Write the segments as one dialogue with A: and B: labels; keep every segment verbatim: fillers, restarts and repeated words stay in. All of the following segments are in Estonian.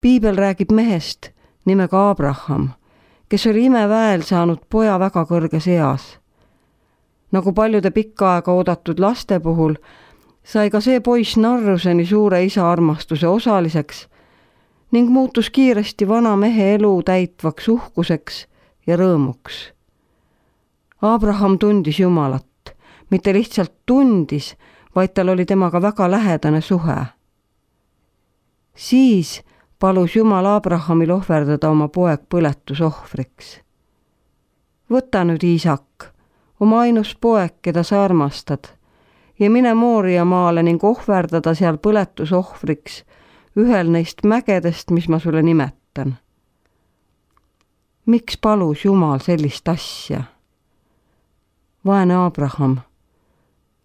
A: Piibel räägib mehest nimega Abraham, kes oli imeväel saanud poja väga kõrges eas. Nagu paljude pikka aega oodatud laste puhul, sai ka see poiss narruseni suure isa armastuse osaliseks ning muutus kiiresti vana mehe elu täitvaks uhkuseks ja rõõmuks. Abraham tundis Jumalat, mitte lihtsalt tundis, vaid tal oli temaga väga lähedane suhe. Siis palus Jumal Abrahamil ohverdada oma poeg põletusohvriks. Võta nüüd Iisak, oma ainus poeg, keda sa armastad, ja mine Mooria maale ning ohverdada seal põletusohvriks ühel neist mägedest, mis ma sulle nimetan. Miks palus Jumal sellist asja? Vaene Abraham,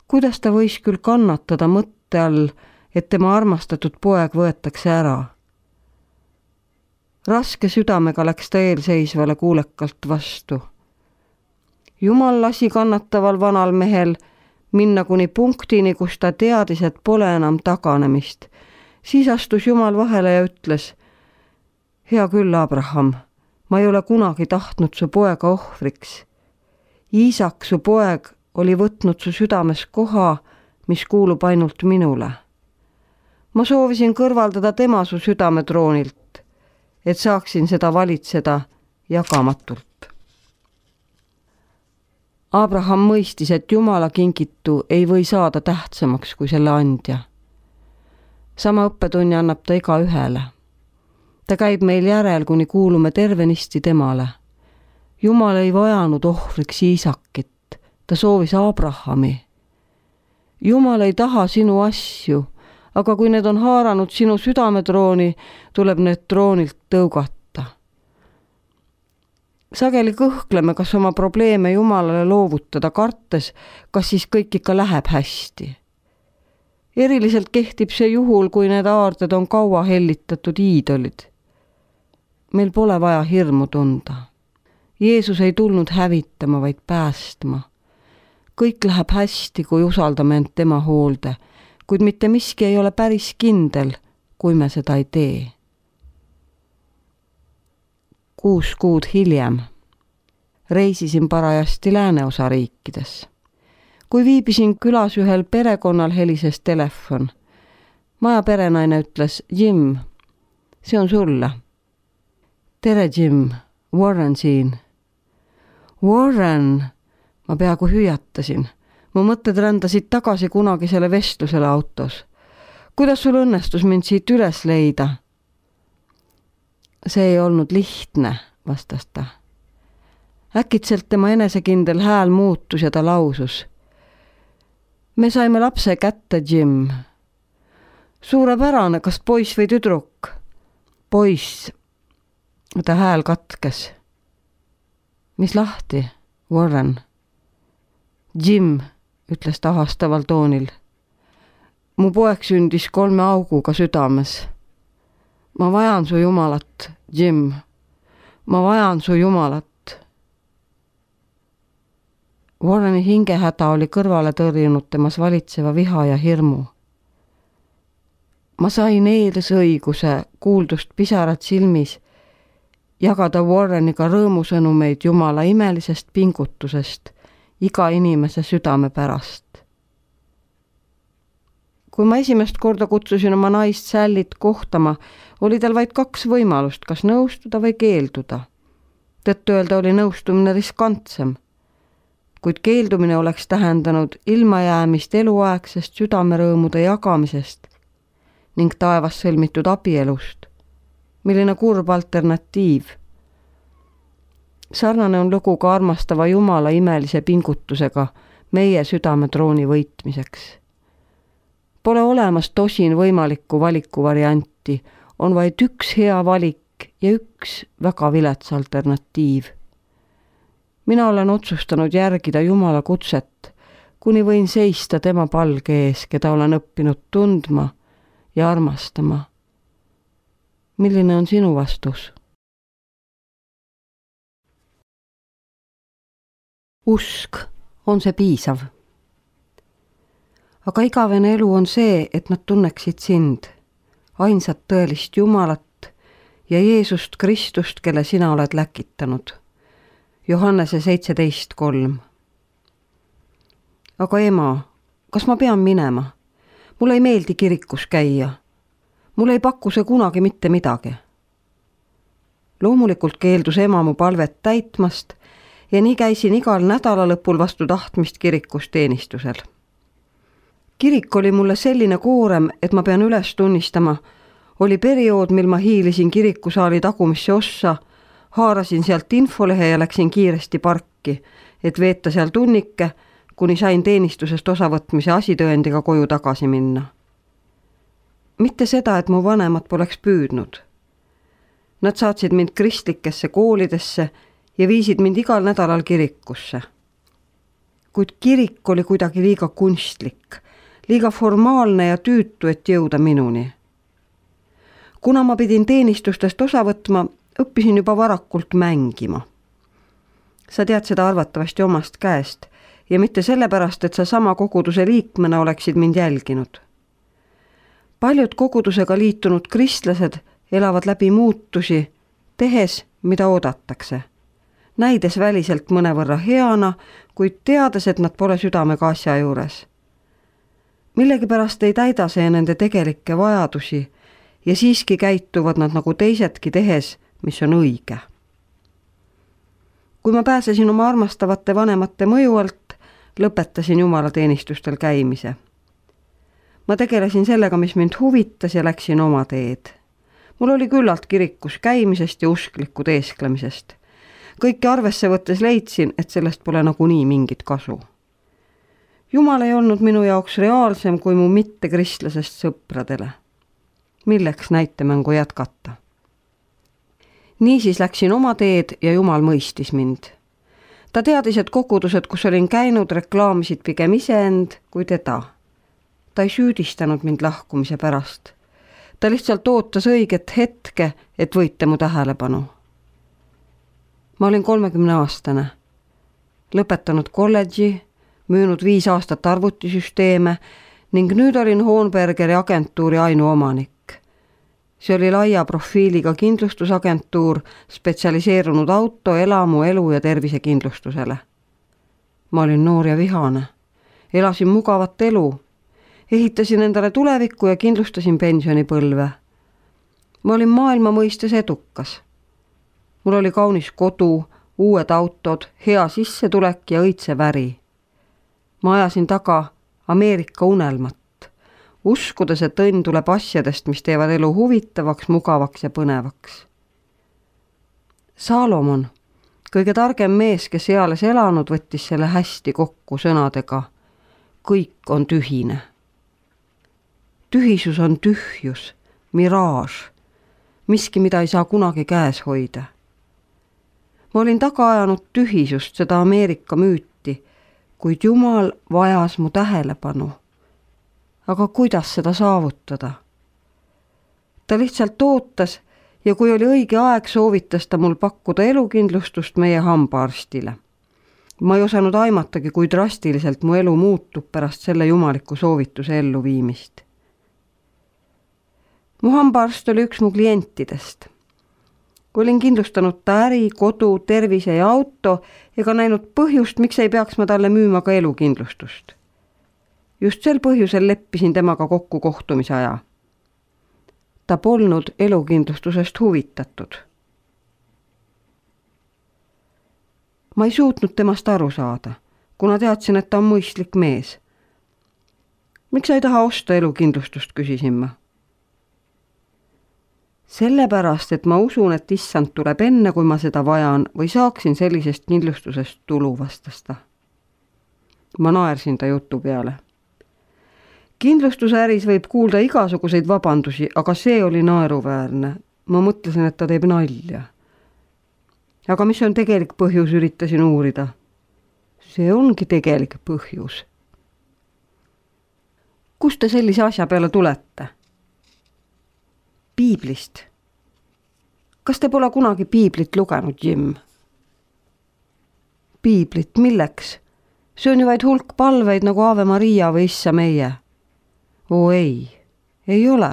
A: kuidas ta võis küll kannatada mõtte all, et tema armastatud poeg võetakse ära? Raske südamega läks ta eelseisvale kuulekalt vastu. Jumal lasi kannataval vanal mehel minna kuni punktini, kus ta teadis, et pole enam taganemist. Siis astus Jumal vahele ja ütles: hea küll, Abraham, ma ei ole kunagi tahtnud su poega ohvriks. Iisak, su poeg, oli võtnud su südames koha, mis kuulub ainult minule. Ma soovisin kõrvaldada tema su südametroonilt, et saaksin seda valitseda jagamatult. Abraham mõistis, et Jumala kingitu ei või saada tähtsamaks kui selle andja. Sama õppetunni annab ta iga ühele. Ta käib meil järel, kuni kuulume tervenisti temale. Jumal ei vajanud ohvriks Iisakit, ta soovis Abrahami. Jumal ei taha sinu asju, aga kui need on haaranud sinu südametrooni, tuleb need troonilt tõugata. Sageli kõhkleme, kas oma probleeme Jumalale loovutada, kartes, kas siis kõik ikka läheb hästi. Eriliselt kehtib see juhul, kui need aarded on kaua hellitatud iidolid. Meil pole vaja hirmu tunda. Jeesus ei tulnud hävitama, vaid päästma. Kõik läheb hästi, kui usaldame end tema hoolde, kuid mitte miski ei ole päris kindel, kui me seda ei tee. Kuus kuud hiljem reisisin parajasti lääneosa riikides. Kui viibisin külas ühel perekonnal, helises telefon. Maja perenaine ütles: Jim, see on sulle. Tere, Jim, Warren siin. Warren, ma peaaegu hüüatasin. Mu mõtted rändasid tagasi kunagisele vestlusele autos. Kuidas sul õnnestus mind siit üles leida? See ei olnud lihtne, vastas ta. Äkitselt tema enesekindel hääl muutus ja ta lausus: me saime lapse kätte, Jim. Suurepärane, kas poiss või tüdruk? Poiss. Ta hääl katkes. Mis lahti, Warren? Jim, ütles ta hastaval toonil. Mu poeg sündis kolme auguga südames. Ma vajan su Jumalat, Jim. Ma vajan su Jumalat. Warreni hingehäda oli kõrvale tõrjunud temas valitseva viha ja hirmu. Ma sain eelisõiguse, kuuldust pisarad silmis, jagada Warreniga rõõmusõnumeid Jumala imelisest pingutusest iga inimese südame pärast. Kui ma esimest korda kutsusin oma naist Sallit kohtama, oli tal vaid kaks võimalust, kas nõustuda või keelduda. Tõttu öelda oli nõustumine riskantsem, kuid keeldumine oleks tähendanud ilmajäämist eluaegsest südamerõõmude jagamisest ning taevas sõlmitud abielust. Milline kurb alternatiiv. Sarnane on lugu ka armastava Jumala imelise pingutusega meie südametrooni võitmiseks. Pole olemas tosin võimalikku valikuvarianti, on vaid üks hea valik ja üks väga vilets alternatiiv. Mina olen otsustanud järgida Jumala kutset, kuni võin seista tema palge ees, keda olen õppinud tundma ja armastama. Milline on sinu vastus? Usk, on see piisav? Aga igavene elu on see, et nad tunneksid sind, ainsat tõelist Jumalat, ja Jeesust Kristust, kelle sina oled läkitanud. Johannese seitseteist kolm. Aga ema, kas ma pean minema? Mulle ei meeldi kirikus käia. Mulle ei paku see kunagi mitte midagi. Loomulikult keeldus ema mu palvet täitmast ja nii käisin igal nädala lõpul vastu tahtmist kirikus teenistusel. Kirik oli mulle selline koorem, et ma pean üles tunnistama, oli periood, mil ma hiilisin kirikusaali tagumisse ossa, haarasin sealt infolehe ja läksin kiiresti parki, et veeta seal tunnike, kuni sain teenistusest osavõtmise asitõendiga koju tagasi minna. Mitte seda, et mu vanemad poleks püüdnud. Nad saatsid mind kristlikesse koolidesse ja viisid mind igal nädalal kirikusse. Kuid kirik oli kuidagi liiga kunstlik, liiga formaalne ja tüütu, et jõuda minuni. Kuna ma pidin teenistustest osa võtma, õppisin juba varakult mängima. Sa tead seda arvatavasti omast käest ja mitte sellepärast, et sa sama koguduse liikmena oleksid mind jälginud. Paljud kogudusega liitunud kristlased elavad läbi muutusi, tehes, mida oodatakse. Näides väliselt mõnevõrra heana, kuid teades, et nad pole südamega asja juures. Millegipärast ei täida see nende tegelikke vajadusi ja siiski käituvad nad nagu teisedki tehes, mis on õige. Kui ma pääsesin oma armastavate vanemate mõju alt, lõpetasin jumalateenistustel käimise. Ma tegelesin sellega, mis mind huvitas ja läksin oma teed. Mul oli küllalt kirikus käimisest ja uskliku teesklemisest. Kõike arvesse võttes leidsin, et sellest pole nagunii mingit kasu. Jumal ei olnud minu jaoks reaalsem kui mu mittekristlasest sõpradele. Milleks näitemängu jätkata? Niisiis läksin oma teed ja Jumal mõistis mind. Ta teadis, et kogudused, kus olin käinud, reklaamisid pigem iseend kui teda. Ta ei süüdistanud mind lahkumise pärast. Ta lihtsalt ootas õiget hetke, et võite mu tähelepanu. Ma olin kolmekümne aastane, lõpetanud kolledži, müünud viis aastat arvutisüsteeme ning nüüd olin Hohenbergeri agentuuri ainuomanik. See oli laia profiiliga kindlustusagentuur, spetsialiseerunud auto, elamu, elu ja tervisekindlustusele. Ma olin noor ja vihane. Elasin mugavat elu. Ehitasin endale tulevikku ja kindlustasin pensionipõlve. Ma olin maailma mõistes edukas. Mul oli kaunis kodu, uued autod, hea sissetulek ja õitse väri. Ma ajasin taga Ameerika unelmat, uskudes, et õnn tuleb asjadest, mis teevad elu huvitavaks, mugavaks ja põnevaks. Salomon, kõige targem mees, kes eales elanud, võttis selle hästi kokku sõnadega: kõik on tühine. Tühisus on tühjus, miraaž, miski, mida ei saa kunagi käes hoida. Ma olin taga ajanud tühisust, seda Ameerika müüti, kuid Jumal vajas mu tähelepanu. Aga kuidas seda saavutada? Ta lihtsalt ootas ja kui oli õige aeg, soovitas ta mul pakkuda elukindlustust meie hambaarstile. Ma ei osanud aimatagi, kui drastiliselt mu elu muutub pärast selle jumaliku soovituse elluviimist. Mu hambaarst oli üks mu klientidest. Kui olin kindlustanud ta äri, kodu, tervise ja auto ega näinud põhjust, miks ei peaks ma talle müüma ka elukindlustust. Just sel põhjusel leppisin temaga kokku kohtumise aja. Ta polnud elukindlustusest huvitatud. Ma ei suutnud temast aru saada, kuna teadsin, et ta on mõistlik mees. Miks sa ei taha osta elukindlustust, küsisin ma. Sellepärast, et ma usun, et issand tuleb enne, kui ma seda vajan või saaksin sellisest kindlustusest tulu, vastas ta. Ma naersin ta jutu peale. Kindlustuse äris võib kuulda igasuguseid vabandusi, aga see oli naeruväärne. Ma mõtlesin, et ta teeb nalja. Aga mis on tegelik põhjus, üritasin uurida. See ongi tegelik põhjus. Kust te sellise asja peale tulete? Piiblist. Kas te pole kunagi piiblit lugenud, Jim? Piiblit, milleks? See on ju vaid hulk palveid nagu Ave Maria või Issa meie. Oo ei, ei ole.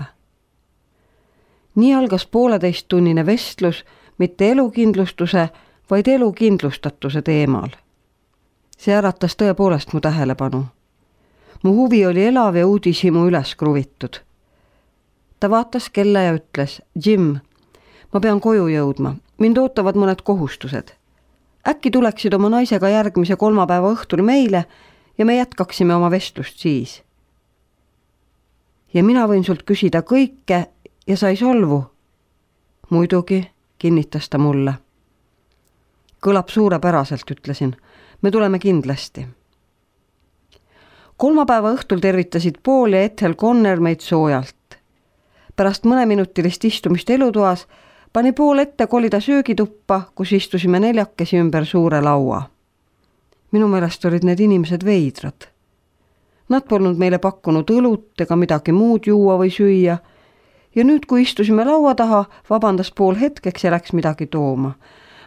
A: nii algas pooleteisttunnine vestlus mitte elukindlustuse, vaid elukindlustatuse teemal. See äratas tõepoolest mu tähelepanu. Mu huvi oli elav ja uudishimu üles kruvitud. Ta vaatas kella ja ütles, Jim, ma pean koju jõudma, mind ootavad mõned kohustused. Äkki tuleksid oma naisega järgmise kolmapäeva õhtul meile ja me jätkaksime oma vestlust siis. Ja mina võin sult küsida kõike ja sa ei solvu. Muidugi, kinnitas ta mulle. Kõlab suurepäraselt, ütlesin. Me tuleme kindlasti. Kolmapäeva õhtul tervitasid Paul ja Ethel Conner meid soojalt. Pärast mõneminutilist istumist elutoas pani Paul ette kolida söögituppa, kus istusime neljakesi ümber suure laua. Minu meelest olid need inimesed veidrad. Nad polnud meile pakkunud õlut ega midagi muud juua või süüa ja nüüd, kui istusime laua taha, vabandas Paul hetkeks ja läks midagi tooma.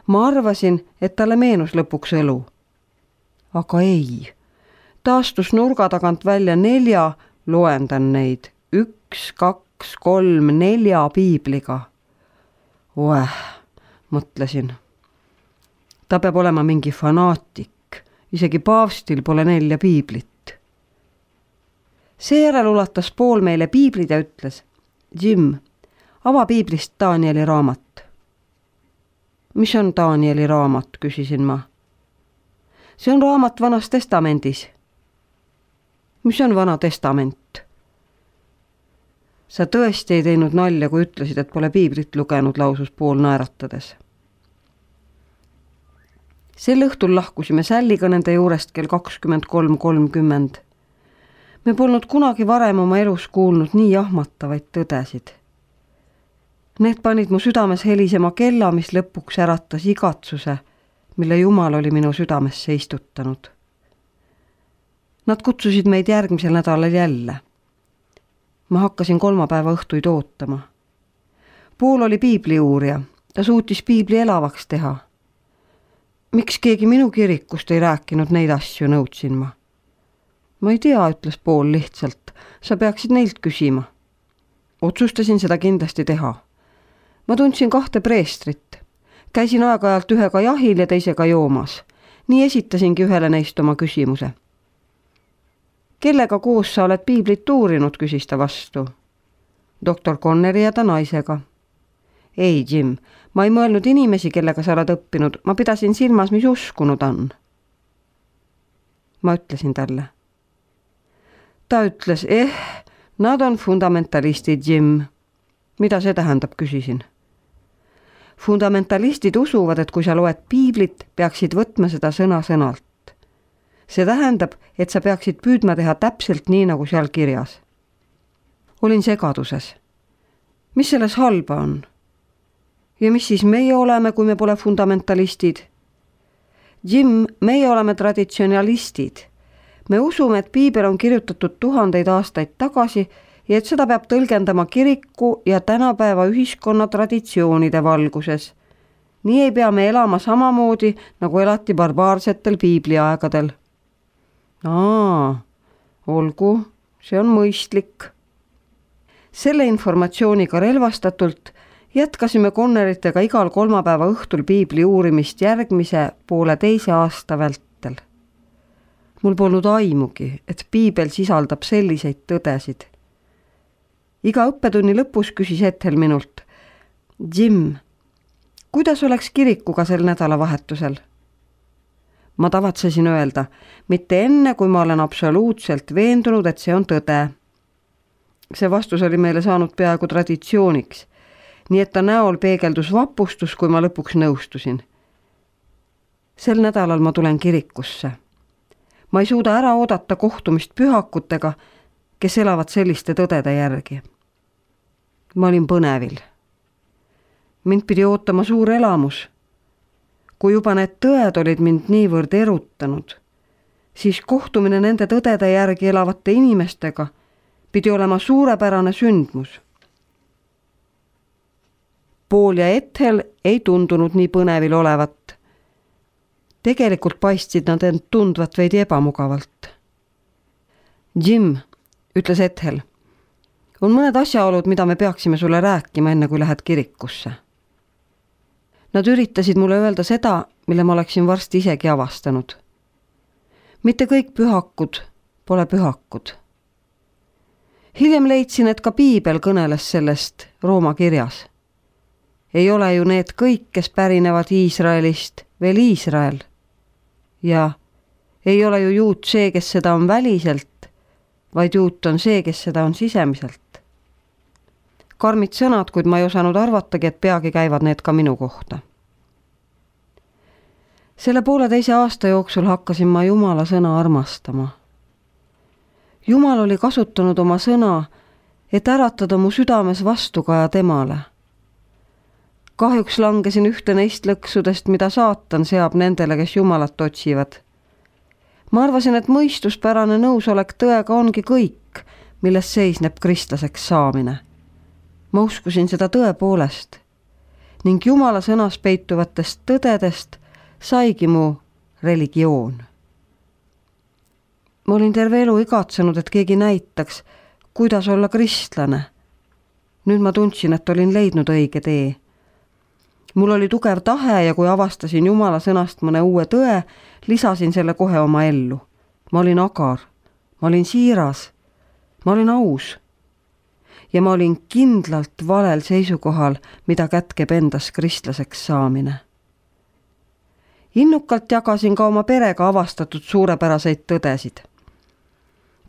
A: Ma arvasin, et talle meenus lõpuks õlu. Aga ei. Ta astus nurga tagant välja nelja, loendan neid, üks, kaks, kolm, nelja piibliga. Oeh, mõtlesin. Ta peab olema mingi fanaatik, isegi paavstil pole nelja piiblit. Seejärel ulatas Paul meile piiblid ja ütles, Jim, ava piiblist Danieli raamat. Mis on Danieli raamat, küsisin ma. See on raamat Vanas testamendis. Mis on Vana testament? Sa tõesti ei teinud nalja, kui ütlesid, et pole piiblit lugenud, lausus Paul naeratades. Sel õhtul lahkusime sälliga nende juurest kell kakskümmend kolm kolmkümmend. Me polnud kunagi varem oma elus kuulnud nii jahmatavaid tõdesid. Need panid mu südames helisema kella, mis lõpuks äratas igatsuse, mille Jumal oli minu südamesse istutanud. Nad kutsusid meid järgmisel nädalal jälle. Ma hakkasin kolmapäeva õhtuid ootama. Paul oli piibliuurija, ta suutis piibli elavaks teha. Miks keegi minu kirikust ei rääkinud neid asju, nõudsin ma. Ma ei tea, ütles Paul lihtsalt, sa peaksid neilt küsima. Otsustasin seda kindlasti teha. Ma tundsin kahte preestrit. Käisin aeg-ajalt ühega jahil ja teisega joomas. Nii esitasingi ühele neist oma küsimuse. Kellega koos sa oled piiblit uurinud, küsis ta vastu. Doktor Conneri ja ta naisega. Ei, Jim, ma ei mõelnud inimesi, kellega sa oled õppinud. Ma pidasin silmas, mis uskunud on. Ma ütlesin talle. Ta ütles, eh, nad on fundamentalistid, Jim. Mida see tähendab, küsisin. Fundamentalistid usuvad, et kui sa loed piiblit, peaksid võtma seda sõna sõnalt. See tähendab, et sa peaksid püüdma teha täpselt nii, nagu seal kirjas. Olin segaduses. Mis selles halba on? Ja mis siis meie oleme, kui me pole fundamentalistid? Jim, meie oleme traditsionalistid. Me usume, et piibel on kirjutatud tuhandeid aastaid tagasi ja et seda peab tõlgendama kiriku ja tänapäeva ühiskonna traditsioonide valguses. Nii ei pea me elama samamoodi, nagu elati barbaarsetel piibliaegadel. Aa, olgu, see on mõistlik. Selle informatsiooniga relvastatult jätkasime Conneritega igal kolmapäeva õhtul piibli uurimist järgmise poole teise aasta vältel. Mul polnud aimugi, et piibel sisaldab selliseid tõdesid. Iga õppetunni lõpus küsis Ethel minult, Jim, kuidas oleks kirikuga sel nädalavahetusel? Ma tavatsesin öelda, mitte enne, kui ma olen absoluutselt veendunud, et see on tõde. See vastus oli meile saanud peaaegu traditsiooniks, nii et ta näol peegeldus vapustus, kui ma lõpuks nõustusin. Sel nädalal ma tulen kirikusse. Ma ei suuda ära oodata kohtumist pühakutega, kes elavad selliste tõdede järgi. Ma olin põnevil. Mind pidi ootama suur elamus. Kui juba need tõed olid mind niivõrd erutanud, siis kohtumine nende tõdede järgi elavate inimestega pidi olema suurepärane sündmus. Paul ja Ethel ei tundunud nii põnevil olevat. Tegelikult paistsid nad end tundvat veidi ebamugavalt. Jim, ütles Ethel, On mõned asjaolud, mida me peaksime sulle rääkima enne, kui lähed kirikusse. Nad üritasid mulle öelda seda, mille ma oleksin varsti isegi avastanud. Mitte kõik pühakud pole pühakud. Hiljem leidsin, et ka Piibel kõneles sellest Rooma kirjas. Ei ole ju need kõik, kes pärinevad Iisraelist, veel Iisrael. Ja ei ole ju juut see, kes seda on väliselt, vaid juut on see, kes seda on sisemiselt. Karmid sõnad, kuid ma ei osanud arvatagi, et peagi käivad need ka minu kohta. Selle pooleteise aasta jooksul hakkasin ma Jumala sõna armastama. Jumal oli kasutanud oma sõna, et äratada mu südames vastukaja temale. Kahjuks langesin ühte neist lõksudest, mida saatan seab nendele, kes Jumalat otsivad. Ma arvasin, et mõistuspärane nõusolek tõega ongi kõik, milles seisneb kristlaseks saamine. Ma uskusin seda tõepoolest ning Jumala sõnas peituvatest tõdedest saigi mu religioon. Ma olin terve elu igatsenud, et keegi näitaks, kuidas olla kristlane. Nüüd ma tundsin, et olin leidnud õige tee. Mul oli tugev tahe ja kui avastasin Jumala sõnast mõne uue tõe, lisasin selle kohe oma ellu. Ma olin agar, ma olin siiras, ma olin aus. Ja ma olin kindlalt valel seisukohal, mida kätkeb endas kristlaseks saamine. Innukalt jagasin ka oma perega avastatud suurepäraseid tõdesid.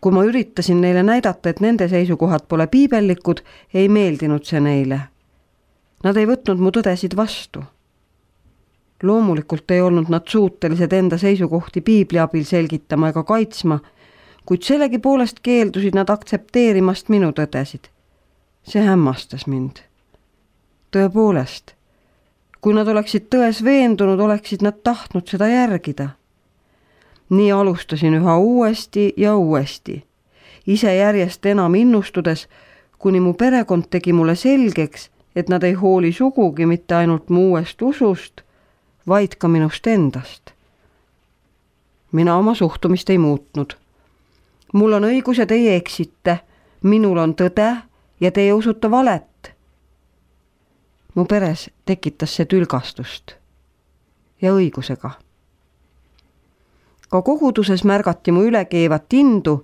A: Kui ma üritasin neile näidata, et nende seisukohad pole piibellikud, ei meeldinud see neile. Nad ei võtnud mu tõdesid vastu. Loomulikult ei olnud nad suutelised enda seisukohti piibli abil selgitama ega kaitsma, kuid sellegi poolest keeldusid nad aktsepteerimast minu tõdesid. See hämmastas mind. Tõepoolest, kui nad oleksid tões veendunud, oleksid nad tahtnud seda järgida. Nii alustasin üha uuesti ja uuesti, ise järjest enam innustudes, kuni mu perekond tegi mulle selgeks, et nad ei hooli sugugi mitte ainult mu uuest usust, vaid ka minust endast. Mina oma suhtumist ei muutnud. Mul on õigus ja teie eksite, minul on tõde ja teie usute valet. Mu peres tekitas see tülgastust ja õigusega. Ka koguduses märgati mu ülekeevat indu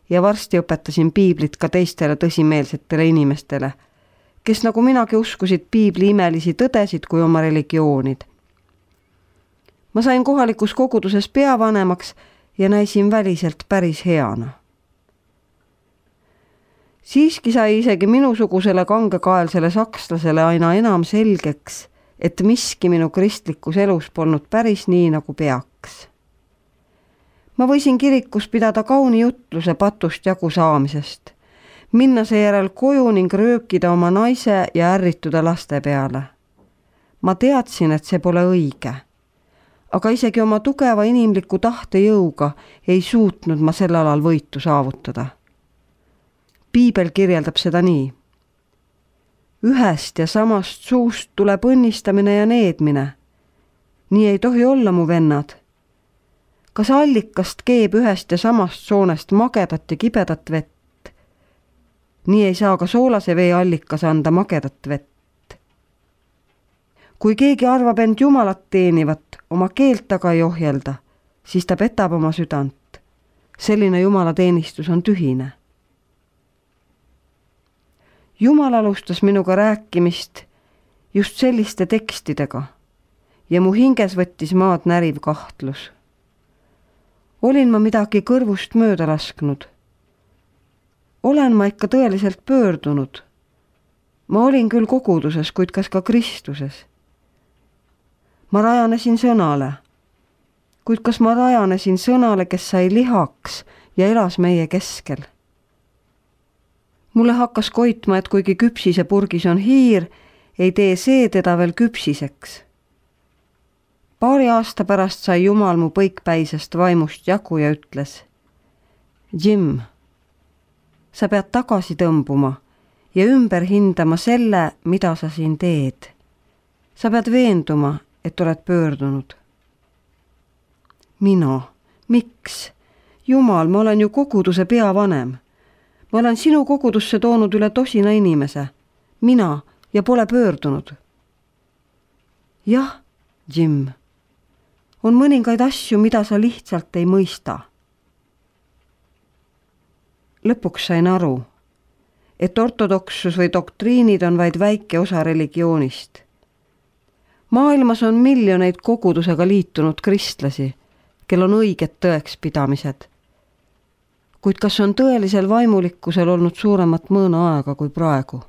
A: ja varsti õpetasin piiblit ka teistele tõsimeelsetele inimestele, kes nagu minagi uskusid piibli imelisi tõdesid kui oma religioonid. Ma sain kohalikus koguduses peavanemaks ja näisin väliselt päris heana. Siiski sai isegi minusugusele kangekaelsele sakslasele aina enam selgeks, et miski minu kristlikus elus polnud päris nii, nagu peaks. Ma võisin kirikus pidada kauni jutluse patust jagu saamisest, minna seejärel koju ning röökida oma naise ja ärrituda laste peale. Ma teadsin, et see pole õige, aga isegi oma tugeva inimliku tahtejõuga ei suutnud ma sel alal võitu saavutada. Piibel kirjeldab seda nii. Ühest ja samast suust tuleb õnnistamine ja needmine. Nii ei tohi olla, mu vennad. Kas allikast keeb ühest ja samast soonest magedat ja kibedat vett? Nii ei saa ka soolase vee allikas anda magedat vett. Kui keegi arvab end Jumalat teenivat, oma keelt taga ei ohjelda, siis ta petab oma südant. Selline Jumala teenistus on tühine. Jumal alustas minuga rääkimist just selliste tekstidega ja mu hinges võttis maad näriv kahtlus. Olin ma midagi kõrvust mööda lasknud. Olen ma ikka tõeliselt pöördunud. Ma olin küll koguduses, kuid kas ka Kristuses. Ma rajanesin sõnale, kuid kas ma rajanesin sõnale, kes sai lihaks ja elas meie keskel? Mulle hakkas koitma, et kuigi küpsise purgis on hiir, ei tee see teda veel küpsiseks. Paari aasta pärast sai Jumal mu põikpäisest vaimust jagu ja ütles: Jim, sa pead tagasi tõmbuma ja ümber hindama selle, mida sa siin teed. Sa pead veenduma, et oled pöördunud. Mina, miks? Jumal, ma olen ju koguduse peavanem. Ma olen sinu kogudusse toonud üle tosina inimese, mina, ja pole pöördunud. Jah, Jim, on mõningaid asju, mida sa lihtsalt ei mõista. Lõpuks sain aru, et ortodoksus või doktriinid on vaid väike osa religioonist. Maailmas on miljoneid kogudusega liitunud kristlasi, kel on õiged tõekspidamised. Kuid kas on tõelisel vaimulikkusel olnud suuremat mõõna aega kui praegu?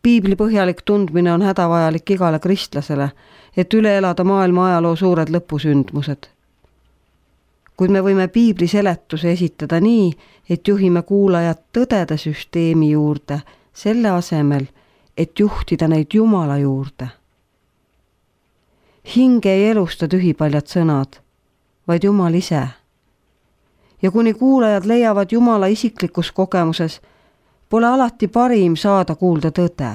A: Piibli põhjalik tundmine on hädavajalik igale kristlasele, et üle elada maailma ajaloo suured lõpusündmused. Kuid me võime piibli seletuse esitada nii, et juhime kuulajad tõdede süsteemi juurde, selle asemel, et juhtida neid Jumala juurde. Hinge ei elusta tühipaljad sõnad, vaid Jumal ise. Ja kuni kuulajad leiavad Jumala isiklikus kogemuses, pole alati parim saada kuulda tõde.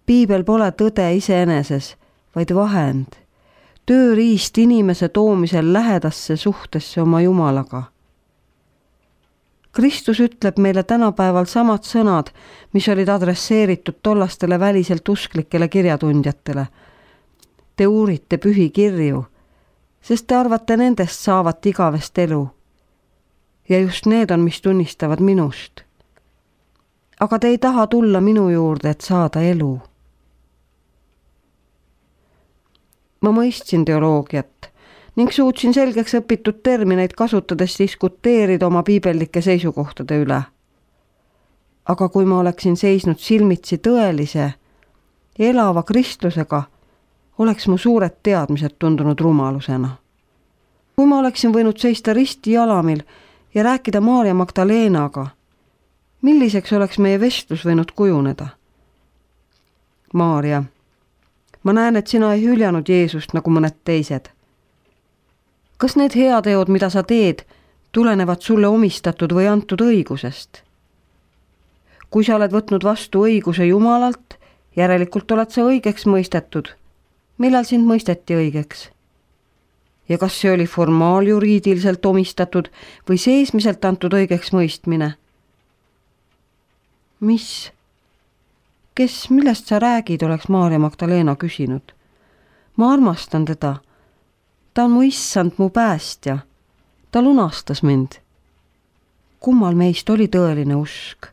A: Piibel pole tõde iseeneses, vaid vahend, tööriist inimese toomisel lähedasse suhtesse oma Jumalaga. Kristus ütleb meile tänapäeval samad sõnad, mis olid adresseeritud tollastele väliselt usklikele kirjatundjatele. Te uurite pühi kirju, sest te arvate nendest saavat igavest elu. Ja just need on, mis tunnistavad minust. Aga te ei taha tulla minu juurde, et saada elu. Ma mõistsin teoloogiat ning suutsin selgeks õpitud termineid kasutades diskuteerida oma piibellike seisukohtade üle. Aga kui ma oleksin seisnud silmitsi tõelise, elava kristlusega, oleks mu suured teadmised tundunud rumalusena. Kui ma oleksin võinud seista risti jalamil ja rääkida Maarja Magdalenaga, milliseks oleks meie vestlus võinud kujuneda? Maarja, ma näen, et sina ei hüljanud Jeesust nagu mõned teised. Kas need heateod, mida sa teed, tulenevad sulle omistatud või antud õigusest? Kui sa oled võtnud vastu õiguse Jumalalt, järelikult oled sa õigeks mõistetud. Millal sind mõisteti õigeks? Ja kas see oli formaaljuriidiliselt omistatud või seesmiselt antud õigeks mõistmine? Mis? Kes, millest sa räägid, oleks Maarja Magdalena küsinud. Ma armastan teda. Ta on mu issand, mu päästja. Ta lunastas mind. Kummal meist oli tõeline usk?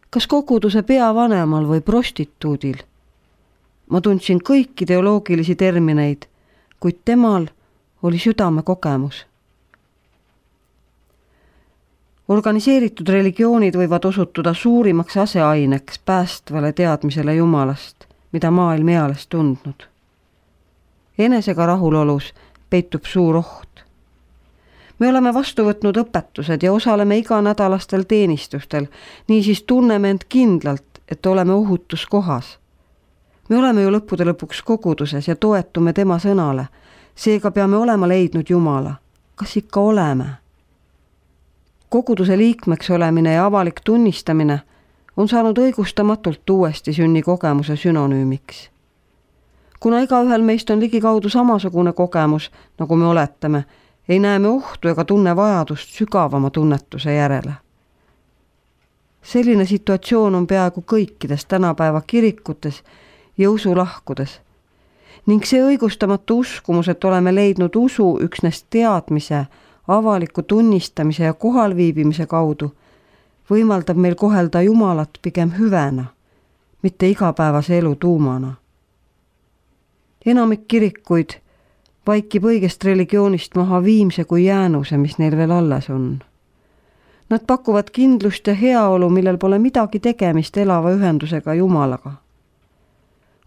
A: Kas koguduse peavanemal või prostituudil? Ma tundsin kõiki teoloogilisi termineid, kuid temal oli südame kogemus. Organiseeritud religioonid võivad osutuda suurimaks aseaineks päästvale teadmisele Jumalast, mida maailm eales tundnud. Enesega rahulolus peitub suur oht. Me oleme vastu võtnud õpetused ja osaleme iganädalastel teenistustel, niisiis tunneme end kindlalt, et oleme ohutus kohas. Me oleme ju lõppude lõpuks koguduses ja toetume tema sõnale, seega peame olema leidnud Jumala. Kas ikka oleme? Koguduse liikmeks olemine ja avalik tunnistamine on saanud õigustamatult uuesti sünni kogemuse sünonüümiks. Kuna igaühel meist on ligikaudu samasugune kogemus, nagu me oletame, ei näe me ohtu ega tunne vajadust sügavama tunnetuse järele. Selline situatsioon on peaaegu kõikides tänapäeva kirikutes ja usulahkudes ning see õigustamatu uskumus, et oleme leidnud usu üksnes teadmise, avaliku tunnistamise ja kohalviibimise kaudu, võimaldab meil kohelda Jumalat pigem hüvena, mitte igapäevase elu tuumana. Enamik kirikuid vaikib õigest religioonist maha viimse kui jäänuse, mis neil veel alles on. Nad pakuvad kindlust ja heaolu, millel pole midagi tegemist elava ühendusega Jumalaga.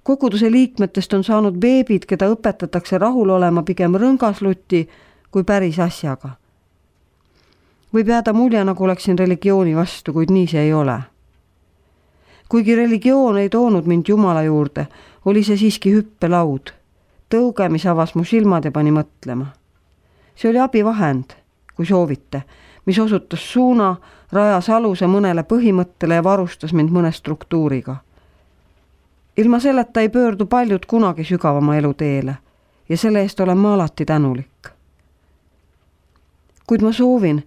A: Koguduse liikmetest on saanud beebid, keda õpetatakse rahul olema pigem rõngasluti kui päris asjaga. Võib jääda mulje, nagu oleksin religiooni vastu, kuid nii see ei ole. Kuigi religioon ei toonud mind Jumala juurde, oli see siiski hüppelaud. Tõuge, mis avas mu silmad ja pani mõtlema. See oli abivahend, kui soovite, mis osutas suuna, rajas aluse mõnele põhimõttele ja varustas mind mõne struktuuriga. Ilma selleta ei pöördu paljud kunagi sügavama elu teele ja selle eest olen ma alati tänulik. Kuid ma soovin,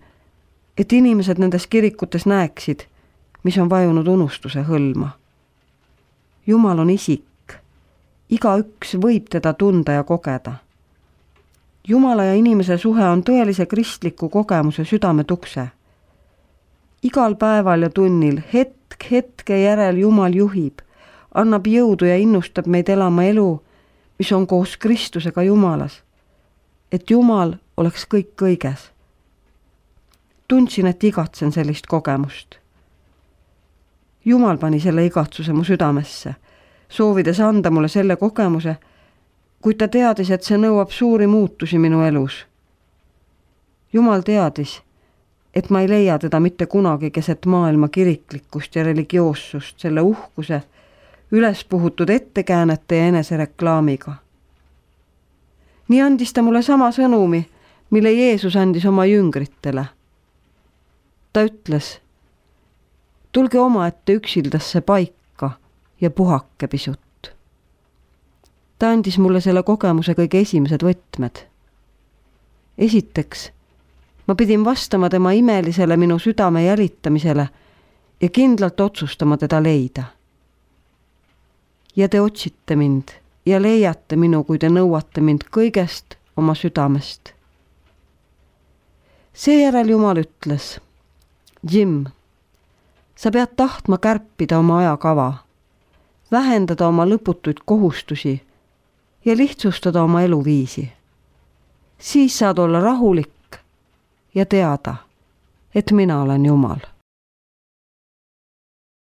A: et inimesed nendes kirikutes näeksid, mis on vajunud unustuse hõlma. Jumal on isik, igaüks võib teda tunda ja kogeda. Jumala ja inimese suhe on tõelise kristliku kogemuse südametukse. Igal päeval ja tunnil hetk hetke järel Jumal juhib, annab jõudu ja innustab meid elama elu, mis on koos Kristusega Jumalas, et Jumal oleks kõik kõiges. Tundsin, et igatsen sellist kogemust. Jumal pani selle igatsuse mu südamesse, soovides anda mulle selle kogemuse, kuid ta teadis, et see nõuab suuri muutusi minu elus. Jumal teadis, et ma ei leia teda mitte kunagi keset maailma kiriklikkust ja religioossust selle uhkuse, üles puhutud ettekäänete ja enesereklaamiga. Nii andis ta mulle sama sõnumi, mille Jeesus andis oma jüngritele. Ta ütles, tulge omaette üksildasse paika ja puhake pisut. Ta andis mulle selle kogemuse kõige esimesed võtmed. Esiteks, ma pidin vastama tema imelisele minu südame jälitamisele ja kindlalt otsustama teda leida. Ja te otsite mind ja leiate minu, kui te nõuate mind kõigest oma südamest. Seejärel Jumal ütles, Jim, sa pead tahtma kärpida oma ajakava, vähendada oma lõputuid kohustusi ja lihtsustada oma eluviisi. Siis saad olla rahulik ja teada, et mina olen Jumal.